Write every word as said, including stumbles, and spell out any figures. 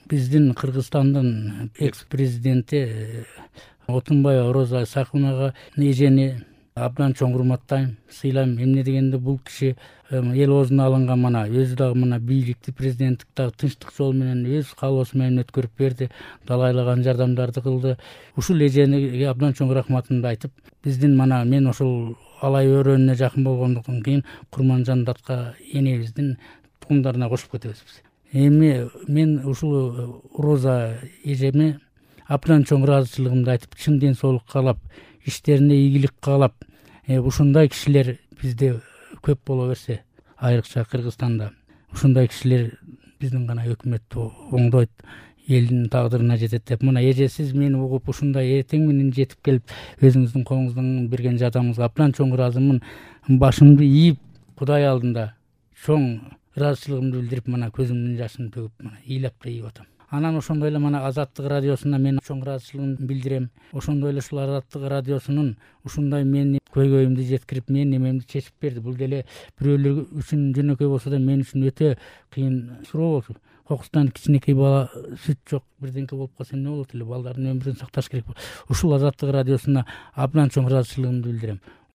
биздин Кыргызстандын экс президенти Отунбаева Роза Исаковнага эжени абдан чоң урматтайм, сыйлайм. Эмне дегенде бул киши эл оозуна алынган мана өзү дагы мына бийликти, президенттик дагы тынчтык жол менен өз каалоосу менен өткөрүп берди, далайлаган жардамдарды кылды. Ушул эжениге абдан чоң рахматымды айтып, биздин мана мен ошол алай өрөөнүнө жакын болгондуктан кийин Курманжан Датка энебиздин тукумдарына кошуп кетебиз биз. Эми мен ушул Роза эжеме абдан чоң ыраазычылыгымды айтып, чын ден соолук каалап, иштерине ийгилик каалап, ушундай кишилер бизде көп боло берсе, айрыкча Кыргызстанда ушундай кишилер биздин гана өкмөттү оңдойт, элдин тагдырына жетет деп. Мына эже, сиз мени угуп ушундай эртең менен жетип келип, өзүңүздүн колуңуздан берген жардамыңызга абдан чоң ыраазымын. Башымды ийип, Кудай алдында чоң ыраазычылыгымды билдирип, мына көзүмдүн жашын төгүп, мына ыйлап да ийип атам. Анан ошондой эле мана Азаттык радиосуна мен чоң ыраазычылыгымды билдирем. Ошондой эле ушул Азаттык радиосунун ушундай мени көйгөйүмдү жеткирип, менин немемди чечип берди. Бул деле бирөөлөр үчүн жөнөкөй болсо да, мен үчүн өтө кыйын суроо болчу. Кокустан кичинекей бала сүт жок, бирдеңке болуп калса эмне болот эле, балдардын өмүрүн сакташ керек. Ушул Азаттык радиосуна абдан чоң ыраазычылыгымды билдирем.